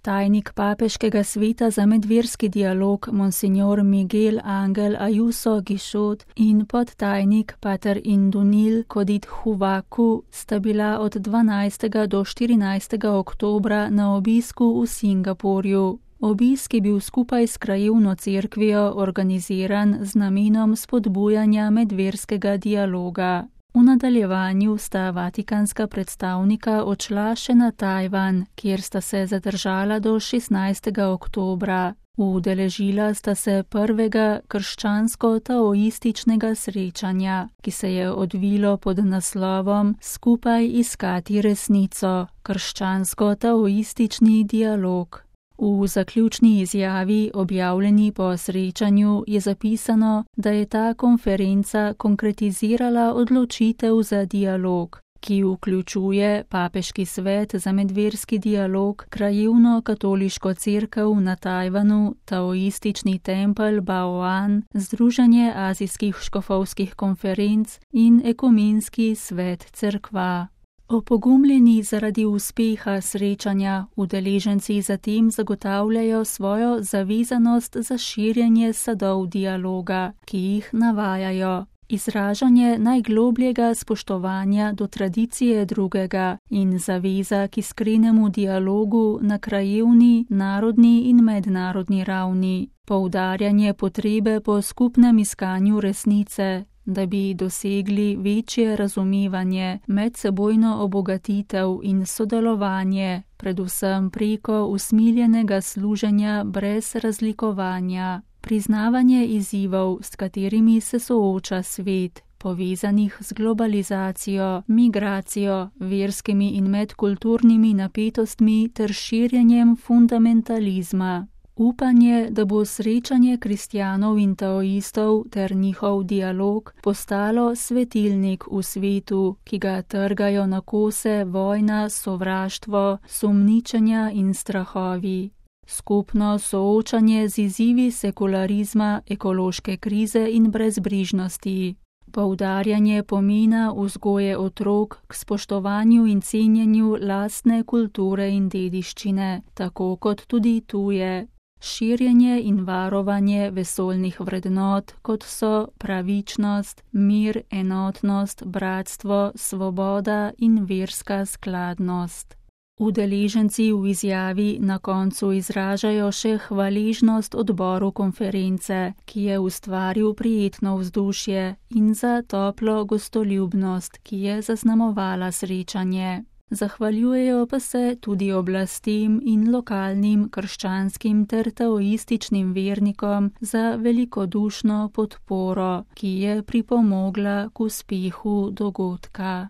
Tajnik Papeškega sveta za medverski dialog Monsignor Miguel Ángel Ayuso Guixot in podtajnik pater Indunil Kodit Huvaku sta bila od 12. do 14. oktobra na obisku v Singapurju. Obisk je bil skupaj s krajevno cerkvijo organiziran z namenom spodbujanja medverskega dialoga. V nadaljevanju sta vatikanska predstavnika odšla še na Tajvan, kjer sta se zadržala do 16. oktobra. Udeležila sta se prvega krščansko-taoističnega srečanja, ki se je odvilo pod naslovom Skupaj iskati resnico, krščansko-taoistični dialog. V zaključni izjavi, objavljeni po srečanju, je zapisano, da je ta konferenca konkretizirala odločitev za dialog, ki vključuje Papeški svet za medverski dialog, krajevno katoliško cerkev na Tajvanu, taoistični tempelj Bao'an, Združenje azijskih škofovskih konferenc in ekumenski svet cerkva. Opogumljeni zaradi uspeha srečanja, udeleženci zatem zagotavljajo svojo zavezanost za širjenje sadov dialoga, ki jih navajajo. Izražanje najglobljega spoštovanja do tradicije drugega in zaveza k iskrenemu dialogu na krajevni, narodni in mednarodni ravni. Poudarjanje potrebe po skupnem iskanju resnice, da bi dosegli večje razumevanje, medsebojno obogatitev in sodelovanje, predvsem preko usmiljenega služenja brez razlikovanja. Priznavanje izzivov, s katerimi se sooča svet, povezanih z globalizacijo, migracijo, verskimi in medkulturnimi napetostmi ter širjenjem fundamentalizma. Upanje, da bo srečanje kristjanov in taoistov ter njihov dialog postalo svetilnik v svetu, ki ga trgajo na kose vojna, sovraštvo, sumničenja in strahovi. Skupno soočanje z izzivi sekularizma, ekološke krize in brezbrižnosti. Poudarjanje pomena vzgoje otrok k spoštovanju in cenjenju lastne kulture in dediščine, tako kot tudi tuje. Širjenje in varovanje vesoljnih vrednot, kot so pravičnost, mir, enotnost, bratstvo, svoboda in verska skladnost. Udeleženci v izjavi na koncu izražajo še hvaležnost odboru konference, ki je ustvaril prijetno vzdušje, in za toplo gostoljubnost, ki je zaznamovala srečanje. Zahvaljujejo pa se tudi oblastem in lokalnim krščanskim ter taoističnim vernikom za velikodušno podporo, ki je pripomogla k uspehu dogodka.